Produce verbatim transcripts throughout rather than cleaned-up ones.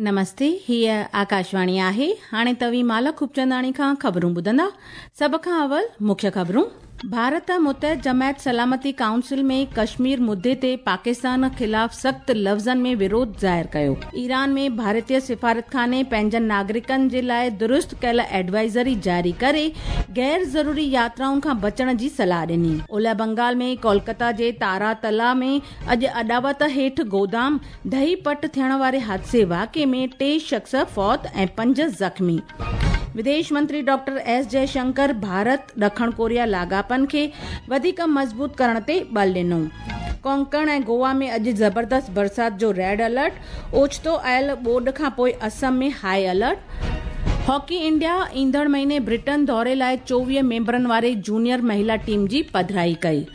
नमस्ते, हीअ आकाशवाणी आहे। हाणे तव्हीं माला खूबचंदाणी खां ख़बरूं ॿुधंदा। सभ खां अवल मुख्य ख़बरूं। भारत मुतहद जमायत सलामती काउंसिल में कश्मीर मुद्दे ते पाकिस्तान ख़िलाफ़ सख़्त लफ़्ज़नि में विरोध ज़ाहिर कयो। ईरान में भारतीय सिफारतखाने पंहिंजनि नागरिकनि जे लाइ दुरुस्त कयल एडवाइज़री जारी करे गैर ज़रूरी यात्राउनि खां बचण जी सलाह ॾिनी। ओलह बंगाल में कोलकाता जे तारातला में अॼु अॾावत हेठि गोदाम ढही पट थियण वारे हादसे वाक़िए में टे शख़्स फौत ऐं पंज ज़ख़्मी। विदेश मंत्री डॉक्टर एस जयशंकर भारत ॾखण कोरिया लाॻापनि खे वधीक मज़बूत करण ते बल ॾिनो। कोंकण ऐं गोवा में अॼु ज़बरदस्त बरसाति जो रेड अलर्ट, ओचितो आयल ॿोॾ खां पोइ असम में हाई अलर्ट। हॉकी इंडिया ईंदड़ महीने ब्रिटेन दौरे लाइ चोवीह मेंबरनि वारे जूनियर महिला टीम जी पधराई कई।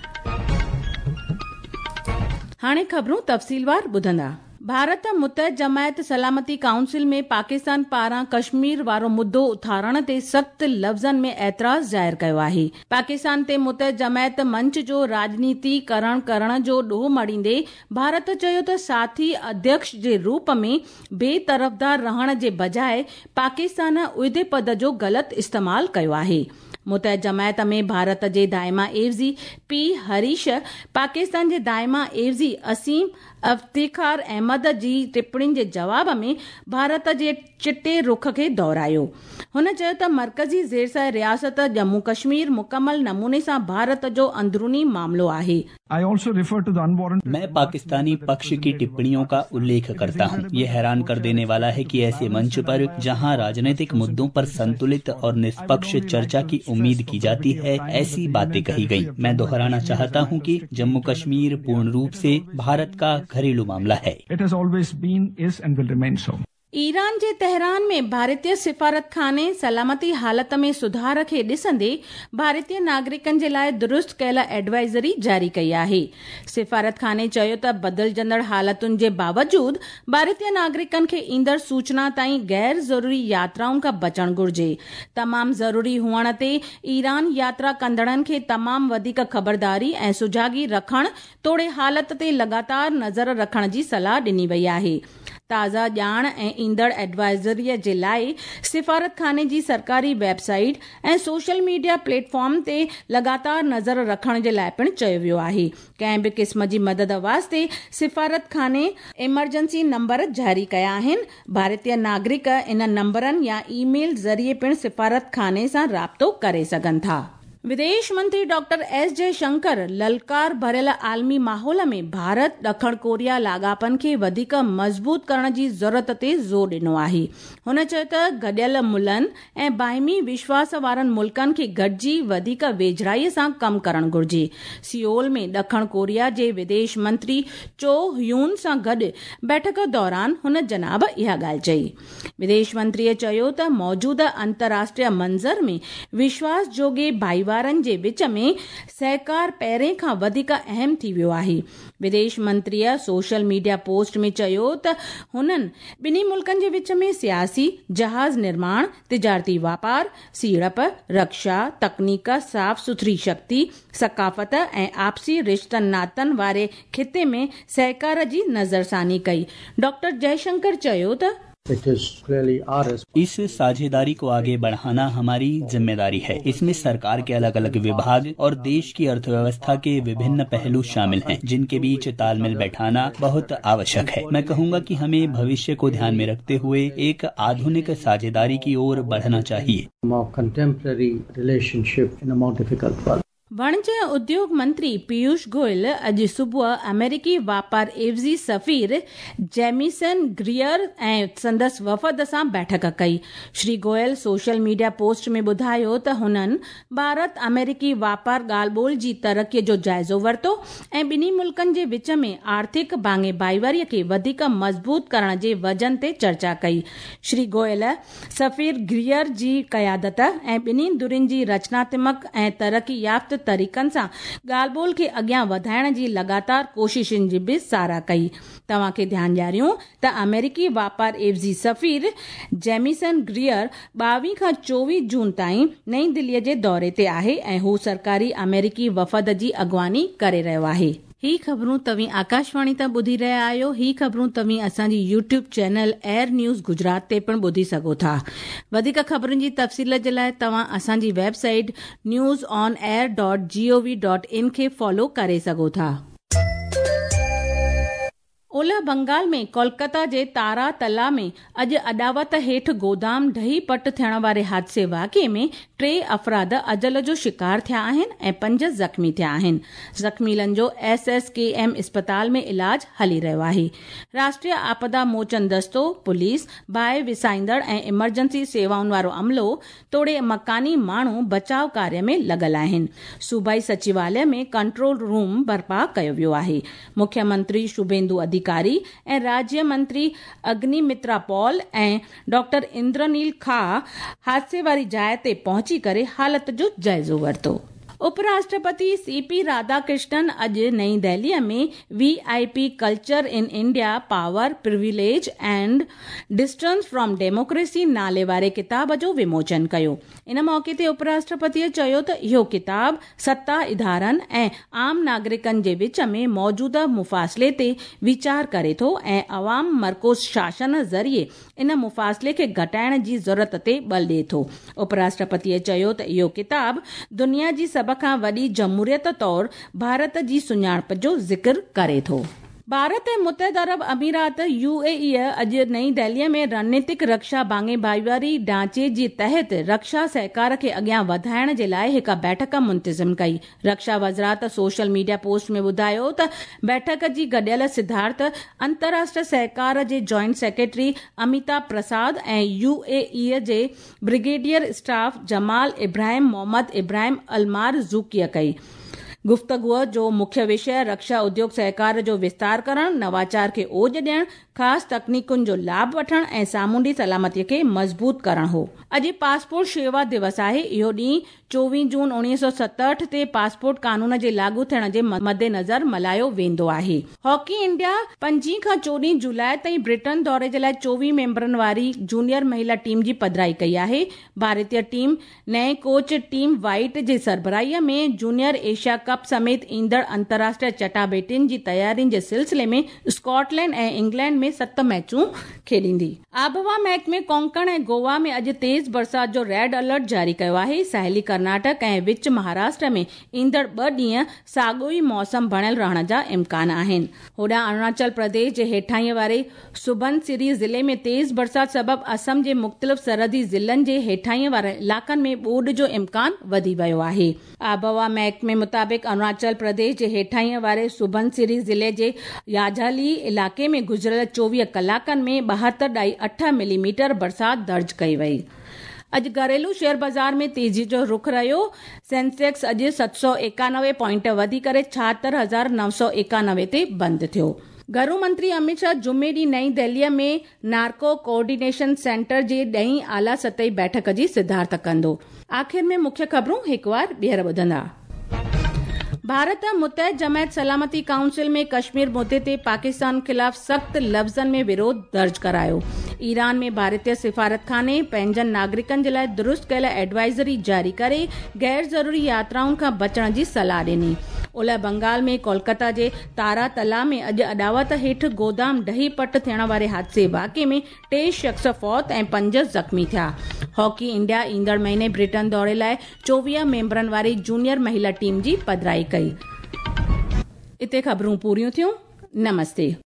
हाणे ख़बरूं तफ़सीलवार ॿुधंदा। भारत मुतहद जमायत सलामती काउंसिल में पाकिस्तान पारां कश्मीर वारो मुद्दो उथारण ते सख़्त लफ़्ज़नि में एतिराज़ ज़ाहिर कयो आहे। पाकिस्तान ते मुतहद जमायत मंच जो राजनीतिकरण करण जो ॾोह मढ़ींदे भारत चयो त साथी अध्यक्ष जे रूप में बेतरफ़दार रहण जे बजाए पाकिस्तान उहिदे पद जो ग़लति इस्तेमाल कयो आहे। मुतहद जमायत में भारत जे दायमा एवज़ी पी हरीश, पाकिस्तान जे दायमा एवज़ी असीम इफ्तिखार अहमद जी टिप्पणियुनि जे जवाब में भारत जे चिटे रुख खे दोहरायो। हुन चयो त मर्कज़ी ज़ेरसाए रियासत जम्मू कश्मीर मुकमल नमूने सां भारत जो अंदरूनी मामलो आहे। मैं पाकिस्तानी पक्ष की टिप्पणियों का उल्लेख करता हूं। ये हैरान कर देने वाला है कि ऐसे मंच पर जहां राजनीतिक मुद्दों पर संतुलित और निष्पक्ष चर्चा की उम्मीद की जाती है, ऐसी बातें कही गई। मैं दोहराना चाहता हूं कि जम्मू कश्मीर पूर्ण रूप से भारत का घरेलू मामला है। It has always been, is and will remain so. Iran J Tehran में भारतीय सिफारतखाने सलामती हालत में सुधार खे ॾिसंदे भारतीय नागरिकनि जे लाइ दुरुस्त कयल एडवाइज़री जारी कई आहे। सिफारतखाने चयो त बदिलजंदड़ हालतुनि जे बावजूद भारतीय नागरिकनि खे ईंदड़ सूचना ताईं गैर ज़रूरी यात्राउनि खां बचणु घुर्जे। तमाम ज़रूरी हुअण ते ईरान यात्रा कंदड़नि खे तमाम वधीक ख़बरदारी ऐं सुजागी रखण तोड़े हालत ते लगातार नज़र रखण जी सलाह ॾिनी वई आहे। ताज़ा ॼाण ऐं ईंदड़ एडवाइज़रीअ जे लाइ सिफारतखाने जी सरकारी वेबसाइट ऐं सोशल मीडिया प्लेटफॉर्म ते लगातार नज़र रखण जे लाइ पिणु चयो वियो आहे। कंहिं बि क़िस्म जी मदद वास्ते सिफारतखाने इमरजेंसी नंबर जारी कया आहिनि। भारतीय नागरिक इन नंबरनि या ईमेल ज़रिए पिणु सिफारतखाने सां राब्तो करे सघनि था। विदेश मंत्री डॉक्टर एस जयशंकर ललकार भरियल आलमी माहौल में भारत ॾखण कोरिया लाॻापनि खे वधीक मज़बूत करण जी ज़रूरत ते ज़ोर ॾिनो आहे। हुन चयो त गॾियल मुलनि ऐं बाहिमी विश्वास वारनि मुल्कनि खे गॾिजी वधीक वेझड़ाईअ सां कमु करणु घुर्जे। सियोल में ॾखण कोरिया जे विदेश मंत्री चो ह्यून सां गॾु बैठक दौरान हुन जनाब इहा ॻाल्हि चई। विदेश मंत्रीअ चयो त मौजूदा अंतर्राष्ट्रीय मंज़र में विश्वास जोगे भाईवार जे विच में सहकार पहिरें खां वधीक अहम थी वियो आहे। विदेश मंत्रीअ सोशल मीडिया पोस्ट में चयो त हुननि ॿिन्ही मुल्कनि जे विच में सियासी, जहाज़ निर्माण, तिजारती वापार, सीड़प, रक्षा, तकनीक, साफ़ सुथरी शक्ति, सकाफ़त ऐं आपसी रिश्तनि नातनि वारे ख़िते में सहकार जी नज़रसानी कई। डॉक्टर जयशंकर चयो त इस साझेदारी को आगे बढ़ाना हमारी जिम्मेदारी है। इसमें सरकार के अलग अलग विभाग और देश की अर्थव्यवस्था के विभिन्न पहलू शामिल हैं, जिनके बीच तालमेल बैठाना बहुत आवश्यक है। मैं कहूँगा कि हमें भविष्य को ध्यान में रखते हुए एक आधुनिक साझेदारी की ओर बढ़ना चाहिए। वणिज ऐं उद्योग मंत्री पीयूष गोयल अॼु सुबुह अमेरिकी वापार एवज़ी सफ़ीर जेमिसन ग्रियर ऐं संदसि वफ़द सां बैठक कई। Shri Goyal social media post में ॿुधायो त हुननि भारत अमेरिकी वापार ॻाल्हि ॿोल जी तरक़ीअ जो जाइज़ो वरितो ऐं ॿिन्ही मुल्कनि जे विच में आर्थिक भाङे भाईवारीअ खे वधीक मज़बूत करण जे वजन ते चर्चा कई। श्री गोयल सफ़ीर ग्रियर जी क़यादत ऐं ॿिन्ही धुरियुनि जी रचनात्मक ऐं तरक़ी याफ़्त तरीक़नि सां ॻाल्हि ॿोल खे अॻियां वधाइण जी लगातार कोशिशुनि जी बि सराह कई। तव्हांखे ध्यानु ॾियारियूं त अमेरिकी वापार एवज़ी सफ़ीर जेमिसन ग्रियर ॿावीह खां चोवीह जून ताईं नई दिल्लीअ जे दौरे ते आहे ऐं हू सरकारी अमेरिकी वफ़द जी अॻुवानी करे रहियो आहे। ही ख़बरूं तव्हीं आकाशवाणी तां ॿुधी रहिया आहियो। ही ख़बरूं तव्हीं असांजी YouTube channel Air News Gujarat ते पिणु ॿुधी सघो था। वधीक ख़बरुनि जी तफ़सील जे लाइ तव्हां असांजी website news on air dot G O V dot in खे फॉलो करे सघो था। ओलह बंगाल में कोलकाता जे तारा तला में अॼु अॾावत हेठि गोदाम ढही पट थियण वारे हादसे वाक़िए में टे अफ़राद अजल जो शिकार थिया आहिनि ऐं पंज ज़ख़्मी थिया आहिनि। ज़ख़्मीलनि जो एस एस के एम अस्पताल में इलाज हली रहियो आहे। राष्ट्रीय आपदा मोचन दस्तो, पुलिस, बाहि विसाईंदड़ ऐं इमरजेंसी सेवाउनि वारो अमलो तोड़े मकानी माण्हू बचाव कार्य में लॻल आहिनि। सूबाई सचिवालय में कंट्रोल रूम बर्पा कयो वियो आहे। मुख्यमंत्री शुभेंदु अधिकारी ऐं राज्य मंत्री अग्निमित्रा पॉल ऐं डॉक्टर इंद्रनील खा हादसे वारी जाइ ते पहुंची करे हालत जो जाइज़ो वरितो। उपराष्ट्रपति सी पी राधाकृष्णन अॼु नई दिल्लीअ में V I P culture in India power privilege and distance from democracy नाले वारे किताब जो विमोचन कयो। इन मौक़े ते उपराष्ट्रपतीअ चयो त इहो किताब सत्ता इदारनि ऐं आम नागरिकनि जे विच में मौजूदा मुफ़ासिले ते वीचार करे थो ऐं अवाम मरकूज़ शासन ज़रिए इन मुफ़ासिले खे घटाइण जी ज़रूरत ते बल ॾिए थो। उपराष्ट्रपतीअ चयो त इहो किताब दुनिया जी सभ खां वॾी जमहूरियत तौर भारत जी सुञाणप जो ज़िक्र करे थो। भारत ऐं मुतहद अरब अमीरात यू ए ई अॼु नई दिल्लीअ में रणनीतिक रक्षा भाङे भाईवारी ढांचे जे तहत रक्षा सहकार खे अॻियां वधाइण जे लाइ हिकु बैठक मुंतज़िम कई। रक्षा वज़ारत सोशल मीडिया पोस्ट में ॿुधायो त बैठक जी गॾियल सिद्धार्थ अंतर्राष्ट्रीय सहकार जे जॉइंट सेक्रेटरी अमिताभ प्रसाद ऐं U A E J brigadier staff Jamal Ibrahim Mohammed Ibrahim Almar ज़ूकीअ कई। गुफ्तगूअ जो मुख्य विषय रक्षा उद्योग सहकार जो विस्तार करणु, नवाचार खे ओज ॾियणु, ख़ासि तकनीकुनि जो लाभ वठणु ऐं सामुंडी सलामतीअ खे मज़बूत करणु हो। अॼु पासपोर्ट शेवा दिवस आहे। इहो ॾींहुं चोवीह जून उणिवीह सौ सतहठि ते पासपोर्ट कानून जे लागू थियण जे मद्देनज़र मल्हायो वेंदो आहे। हॉकी इंडिया पंजीह खां चोॾहं जुलाई ताईं ब्रिटेन दौरे जे लाइ चोवीह मेंबरनि वारी जूनियर महिला टीम जी पधराई कई आहे। भारतीय टीम नए कोच टीम वाइट जे सरबराहीअ में जूनियर एशिया कप समेत ईंदड़ अंतर्राष्ट्रीय चटाबेटियुनि जी तयारियुनि जे सिलसिले में स्कॉटलैंड ऐं इंग्लैंड में सत मैचूं खेॾींदी। आबहवा महकमे कोंकण ऐं गोवा में अॼु तेज़ बरसाति जो रेड अलर्ट जारी कयो आहे। साहिली कर्नाटक ऐं विच महाराष्ट्र में ईंदड़ ॿ ॾींहं साॻियो ई मौसम बणियल रहण जा इम्कान आहिनि। होॾां अरुणाचल प्रदेश जे हेठाईं वारे सुबनसिरी ज़िले में तेज़ बरसाति सबबि असम जे मुख़्तलिफ़ सरहदी ज़िलनि जे हेठाईं वारे इलाइक़नि में ॿोॾ जो इम्कान वधी वियो आहे। आबहवा महकमे मुताबिक़ अरुणाचल प्रदेश जे हेठाईं वारे सुबनसिरी ज़िले जे याझाली इलाइक़े में गुज़िरियल चोवीह कलाकनि में ॿाहतरि ॾाई अठ मिलीमीटर बरसाति दर्ज कई वई। अॼु घरेलू शेयर बाज़ार में तेज़ी जो रुख रहियो। सेंसेक्स अॼु सत सौ एकानवे पॉइंट वधी करे छाहतरि हज़ार नव सौ एकानवे ते बंदि थियो। घरू मंत्री अमित शाह जुमे ॾींहुं नई दिल्लीअ में नार्को कोऑर्डिनेशन सेंटर जे ॾहीं आला सतही बैठक जी सिद्धार्थ कंदो। आख़िर में मुख्य ख़बरूं हिकु वार ॿीहर ॿुधंदा। भारत मुतहद जमायत सलामती काउंसिल में कश्मीर मुद्दे ते पाकिस्तान ख़िलाफ़ सख़्त लफ़्ज़नि में विरोध दर्ज करायो। ईरान में भारतीय सिफारतखाने पंहिंजनि नागरिकनि जे लाइ दुरुस्त कयल एडवाइज़री जारी करे गैर ज़रूरी यात्राउनि खां बचण जी सलाह ॾिनी। ओलह बंगाल में कोलकाता जे तारा तला में अॼु अॾावत हेठि गोदाम ढही पट थियण वारे हादसे वाक़िए में टे शख़्स फौत ऐं पंज ज़ख़्मी थिया। हॉकी इंडिया ईंदड़ महीने ब्रिटेन दौरे लाइ चोवीह मेंबरनि वारी जूनियर महिला टीम जी पधराई कई। इते ख़बरूं पूरियूं थियूं। नमस्ते।